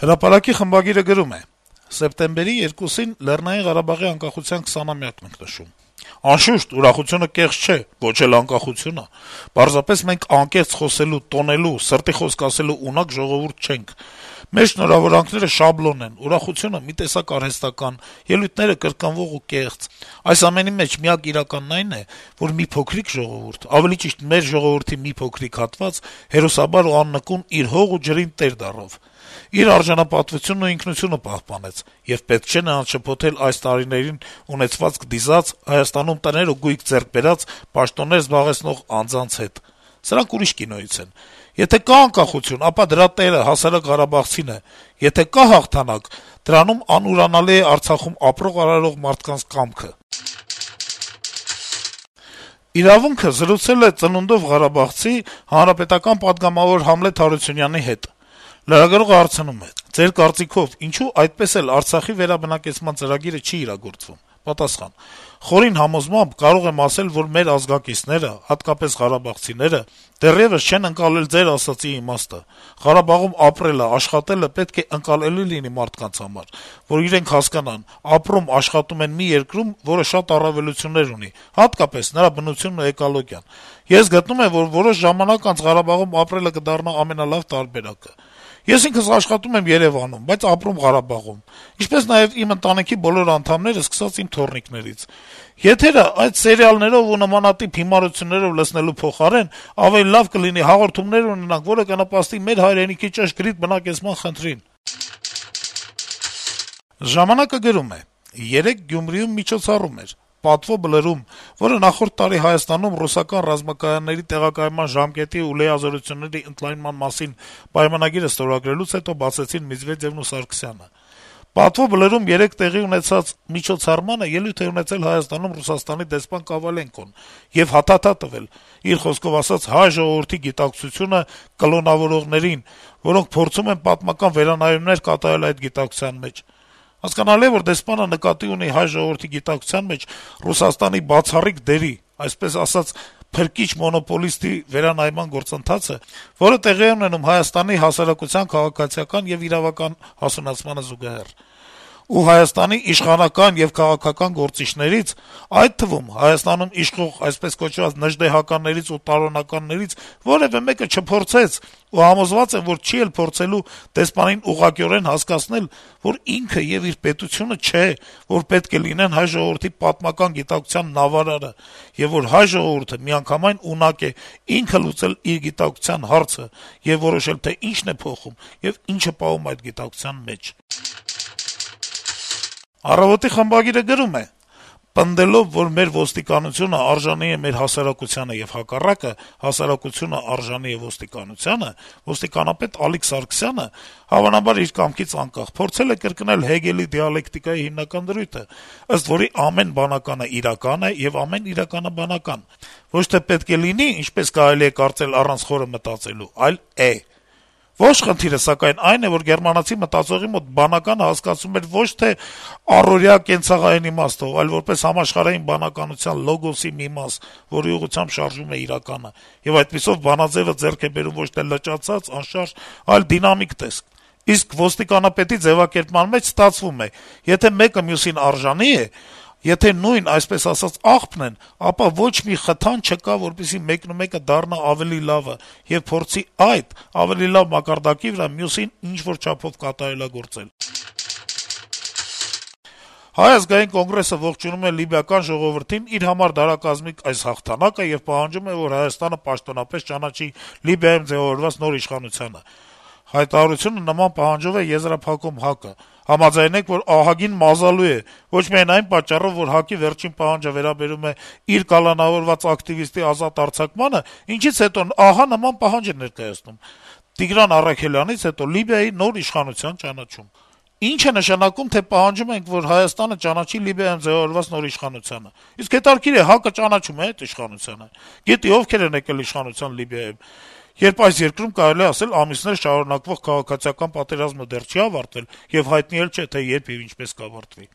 Հրապարակի խմբագիրը գրում է. - «Սեպտեմբերի 2-ին Լեռնային Ղարաբաղի անկախության 20-ամյակն ենք նշում: Անշուշտ, ուրախությունը կեղծ չէ, ոչ էլ անկախությունը: Պարզապես մենք անկեղծ խոսելու, տոնելու, սրտի խոսք ասելու ունակ ժողովուրդ չենք: Մեր շնորհավորանքները շաբլոն են, ուրախությունը մի տեսակ արհեստական, ելույթները կրկնվող ու կեղծ: Այս ամենի մեջ միակ իրականն այն է, որ մի փոքրիկ ժողովուրդ, ավելի ճիշտ մեր ժողովրդի մի փոքրիկ հատված հերոսաբար ու աննկուն իր հող ու ջրին տեր դառավ: Իր արժանապատվությունն ու ինքնությունը պահպանեց, եւ պետք չէ նրան շփոթել այս տարիներին ունեցվածք դիզած, Հայաստանում տներ ու գույք ձեռք բերած, պաշտոններ զբաղեցնող անձանց հետ: Սրանք ուրիշ կինոյից են: Եթե կա անկախություն, ապա դրա տերը հասարակ ղարաբաղցին է, եթե կա հաղթանակ, դրանում անուրանալի է Արցախում ապրող-արարող մարդկանց կամքը»: «Իրավունք»-ը զրուցել է ծնունդով ղարաբաղցի, հանրապետական պատգամավոր Համլետ Հարությունյանի հետ: Լրագրողը հարցնում է. - «Ձեր կարծիքով ինչո՞ւ այդպես էլ Արցախի վերաբնակեցման ծրագիրը չի իրագործվում»: Պատասխան. - «Խորին համոզմամբ կարող եմ ասել, որ մեր ազգակիցները, հատկապես ղարաբաղցիները, դեռեւս չեն ընկալել ձեր ասածի իմաստը: Ղարաբաղում ապրելը, աշխատելը պետք է ընկալելի լինի մարդկանց համար, որ իրենք հասկանան` ապրում, աշխատում են մի երկրում, որը շատ առավելություններ ունի, հատկապես նրա բնությունն ու էկոլոգիան: Ես գտնում եմ, որ որոշ ժամանակ անց Ղարաբաղում ապրելը կդառնա ամենալավ տարբերակը: Ես ինքս աշխատում եմ Երեւանում, բայց ապրում Ղարաբաղում, ինչպես նաեւ իմ ընտանիքի բոլոր անդամները, սկսած իմ թոռնիկներից: Եթերը այդ սերիալներով ու նմանատիպ հիմարություններով լցնելու փոխարեն ավելի լավ կլինի հաղորդումներ ունենանք, որը կնպաստի մեր հայրենիքի ճշգրիտ բնակեցման խնդրին»: «Ժամանակ»-ը գրում է. - «Երեկ Գյումրիում միջոցառում էր: Պատվո բլրում, որը նախորդ տարի Հայաստանում ռուսական ռազմակայանների տեղակայման ժամկետի ու լիազորությունների ընդլայնման մասին պայմանագիրը ստորագրելուց հետո բացեցին Մեդվեդեւն ու Սարգսյանը: Պատվո բլրում երեկ տեղի ունեցած միջոցառմանը ելույթ է ունեցել Հայաստանում Ռուսաստանի դեսպան Կավալենկոն եւ հաթաթա տվել, իր խոսքով ասած, հայ ժողովրդի գիտակցությունը կլոնավորողներին, որոնք փորձում են պատմական վերանայումներ կատարել այդ գիտակցության մեջ: Հասկանալի է, որ դեսպանը նկատի ունի հայ ժողովրդի գիտակցության մեջ Ռուսաստանի բացառիկ դերի, այսպես ասած, փրկիչ մոնոպոլիստի վերանայման գործընթացը, որը տեղի է ունենում Հայաստանի հասարակության քաղաքացիական եւ իրավական հասունացմանը զուգահեռ: Ու Հայաստանի իշխանական եւ քաղաքական գործիչներից, այդ թվում Հայաստանում իշխող այսպես կոչված նժդեհականներից ու տարօրինականներից որեւէ մեկը չփորձեց ու համոզված եմ, որ չի էլ փորձելու դեսպանին ուղղակիորեն հասկացնել, որ ինքը եւ իր պետությունը չէ, որ պետք է լինեն հայ ժողովրդի պատմական գիտակցության նավարարը, եւ որ հայ ժողովուրդը միանգամայն ունակ է ինքը լուծել իր գիտակցության հարցը եւ որոշել, թե ինչն է փոխում եւ ինչ է պահում այդ գիտակցության մեջ»: «Առավոտ»-ի խմբագիրը գրում է. - «Պնդելով, որ մեր ոստիկանությունը արժանի է մեր հասարակությանը եւ հակառակը, հասարակությունը արժանի է ոստիկանությանը, ոստիկանապետ Ալիկ Սարգսյանը, հավանաբար իր կամքից անկախ, փորձել է կրկնել Հեգելի դիալեկտիկայի հիմնական դրույթը, ըստ որի ամեն բանականը իրական է եւ ամեն իրականը բանական: Ոչ թե պետք է լինի, ինչպես կարելի է կարծել առանց խորը մտածելու, այլ է: Ողջ խնդիրը, սակայն, այն է, որ գերմանացի մտածողի մոտ բանականը հասկացվում էր ոչ թե առօրյա կենցաղային իմաստով, այլ որպես համաշխարհային բանականության լոգոսի մի մաս, որի ուղղությամբ շարժվում է իրականը, եւ այդպիսով բանաձեւը ձեռք է բերում ոչ թե լճացած, անշարժ, այլ դինամիկ տեսք: Իսկ ոստիկանապետի ձեւակերպման մեջ ստացվում է. եթե մեկը մյուսին արժանի է, եթե նույն, այսպես ասած, աղբն են, ապա ոչ մի խթան չկա, որպեսզի մեկնումեկը դառնա ավելի լավը եւ փորձի այդ ավելի լավ մակարդակի վրա մյուսին ինչ-որ չափով կատարելագործել»: Հայ ազգային կոնգրեսը ողջունում է լիբիական ժողովրդին իր համար դարակազմիկ այս հաղթանակը եւ պահանջում է, որ Հայաստանը պաշտոնապես ճանաչի Լիբիայում ձեւավորված նոր իշխանությանը: Հայտարարությունը նման պահանջով է եզրափակում ՀԱԿ-ը: Համաձայնեք, որ ահագին մազալու է, ոչ միայն այն պատճառով, որ ՀԱԿ-ի վերջին պահանջը վերաբերում է իր կալանավորված ակտիվիստի ազատ արձակմանը, ինչից հետո ահա նման պահանջ է ներկայացնում: Տիգրան Առաքելյանից հետո Լիբիայի նոր իշխանության ճանաչում: Ինչ է նշանակում, թե պահանջում ենք, որ Հայաստանը ճանաչի Լիբիայում ձեւավորված նոր իշխանությանը: Իսկ հետաքրքիր է, ՀԱԿ-ը ճանաչում է էդ իշխանությանը: Գիտի ովքեր են եկել իշխանության Լիբիայում, երբ այս երկրում, կարելի է ասել, ամիսներ շարունակվող քաղաքացիական պատերազմը դեռ չի ավարտվել եւ հայտնի էլ չէ, թե երբ եւ ինչպես կավարտվի: